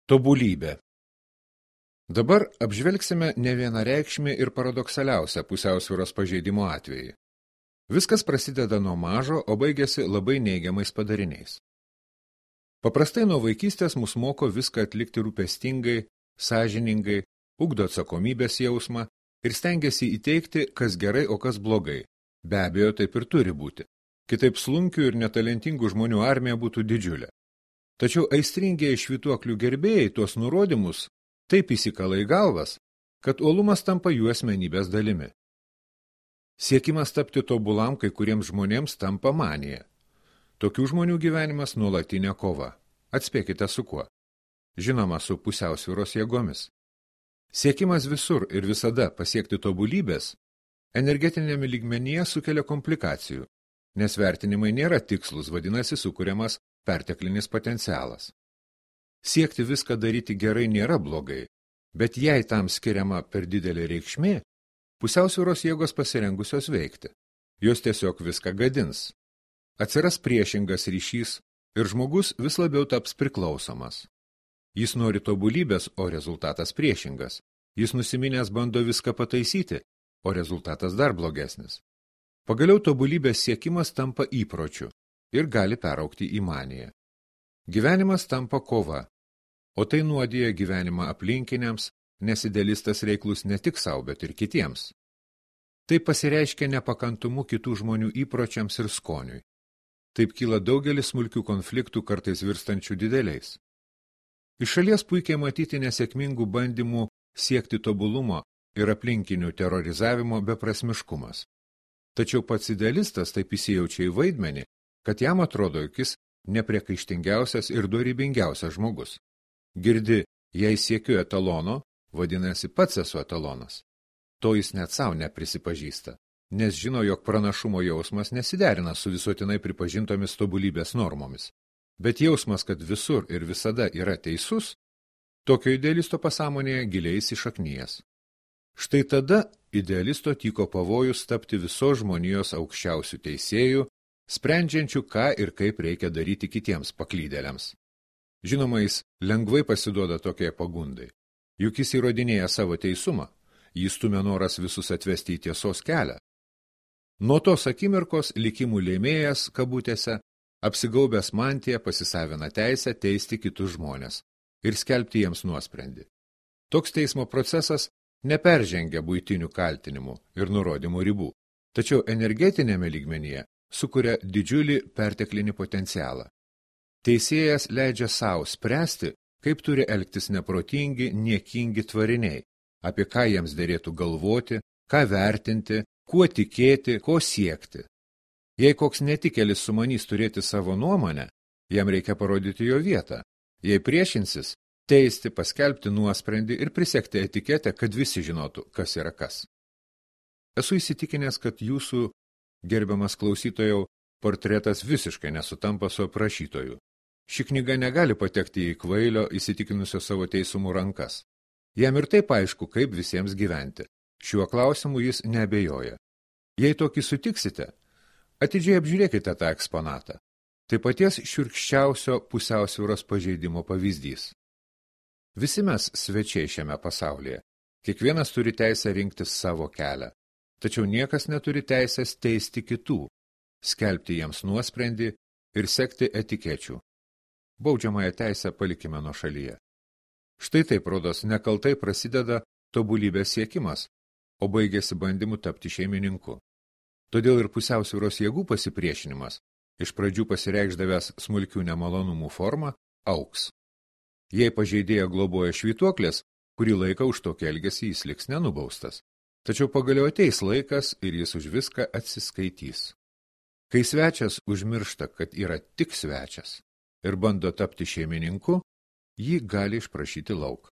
Tobulybė. Dabar apžvelgsime nevienareikšmį ir paradoksaliausią pusiausvyros pažeidimo atvejį. Viskas prasideda nuo mažo, o baigėsi labai neigiamais padariniais. Paprastai nuo vaikystės mus moko viską atlikti rūpestingai, sąžiningai, ugdo atsakomybės jausmą ir stengiasi įteikti, kas gerai, o kas blogai. Be abejo, taip ir turi būti. Kitaip slunkių ir netalentingų žmonių armija būtų didžiulė. Tačiau aistringieji švytuoklių gerbėjai tuos nurodymus taip įsikala į galvas, kad uolumas tampa jų asmenybės dalimi. Siekimas tapti tobulam kai kuriems žmonėms tampa manija. Tokių žmonių gyvenimas nuolatinė kova. Atspėkite su kuo. Žinoma, su pusiausvyros jėgomis. Siekimas visur ir visada pasiekti tobulybės energetinėme lygmenyje sukelia komplikacijų, nes vertinimai nėra tikslus, vadinasi sukuriamas perteklinis potencialas. Siekti viską daryti gerai nėra blogai, bet jei tam skiriama per didelė reikšmė, pusiausvyros jėgos pasirengusios veikti. Jos tiesiog viską gadins. Atsiras priešingas ryšys ir žmogus vis labiau taps priklausomas. Jis nori tobulybės, o rezultatas priešingas. Jis nusiminęs bando viską pataisyti, o rezultatas dar blogesnis. Pagaliau tobulybės siekimas tampa įpročiu ir gali peraugti į maniją. Gyvenimas tampa kova, o tai nuodija gyvenimą aplinkiniams, nes idealistas reiklus ne tik sau, bet ir kitiems. Tai pasireiškia nepakantumu kitų žmonių įpročiams ir skoniui. Taip kyla daugelis smulkių konfliktų, kartais virstančių dideliais. Iš šalies puikiai matyti nesėkmingų bandymų siekti tobulumo ir aplinkinių terorizavimo beprasmiškumas. Tačiau pats idealistas taip įsijaučia į vaidmenį, kad jam atrodo, jog jis nepriekaištingiausias ir dorybingiausias žmogus. Girdi, jei siekiu etalono, vadinasi pats esu etalonas. To jis net savo neprisipažįsta, nes žino, jog pranašumo jausmas nesiderina su visuotinai pripažintomis tobulybės normomis. Bet jausmas, kad visur ir visada yra teisus, tokio idealisto pasąmonėje giliai įsišaknyjęs. Štai tada idealisto tyko pavojus tapti visos žmonijos aukščiausių teisėjų, sprendžiančių, ką ir kaip reikia daryti kitiems paklydėliams. Žinoma, jis lengvai pasiduoda tokiai pagundai. Juk jis įrodinėja savo teisumą, jis stumia noras visus atvesti į tiesos kelią. Nuo tos akimirkos likimų lėmėjas, kabutėse, apsigaubęs mantiją pasisavina teisę teisti kitus žmonės ir skelbti jiems nuosprendį. Toks teismo procesas neperžengia buitinių kaltinimų ir nurodymų ribų, tačiau energetinėme lygmenyje sukuria didžiulį perteklinį potencialą. Teisėjas leidžia savo spręsti, kaip turi elgtis neprotingi, niekingi tvariniai, apie ką jiems derėtų galvoti, ką vertinti, kuo tikėti, ko siekti. Jei koks netikėlis sumanys turėti savo nuomonę, jam reikia parodyti jo vietą. Jei priešinsis, teisti, paskelbti nuosprendį ir prisiekti etiketę, kad visi žinotų, kas yra kas. Esu įsitikinęs, kad jūsų gerbiamas klausytojau, portretas visiškai nesutampa su aprašytoju. Ši knyga negali patekti į kvailio, įsitikinusio savo teisumų rankas. Jam ir taip aišku, kaip visiems gyventi. Šiuo klausimu jis neabejoja. Jei tokį sutiksite, atidžiai apžiūrėkite tą eksponatą. Tai paties šiurkščiausio pusiausvyros pažeidimo pavyzdys. Visi mes svečiai šiame pasaulyje. Kiekvienas turi teisę rinktis savo kelią. Tačiau niekas neturi teisės teisti kitų, skelbti jiems nuosprendį ir sekti etikečių. Baudžiamąją teisę palikime nuo šalyje. Štai taip, rodos, nekaltai prasideda tobulybės siekimas, o baigėsi bandymu tapti šeimininku. Todėl ir pusiausvyros jėgų pasipriešinimas, iš pradžių pasireikšdavęs smulkių nemalonumų formą, augs. Jei pažeidėją globoja švytuoklės, kurį laiką už tokį elgesį jis liks nenubaustas. Tačiau pagaliau ateis laikas ir jis už viską atsiskaitys. Kai svečias užmiršta, kad yra tik svečias ir bando tapti šeimininku, jį gali išprašyti lauk.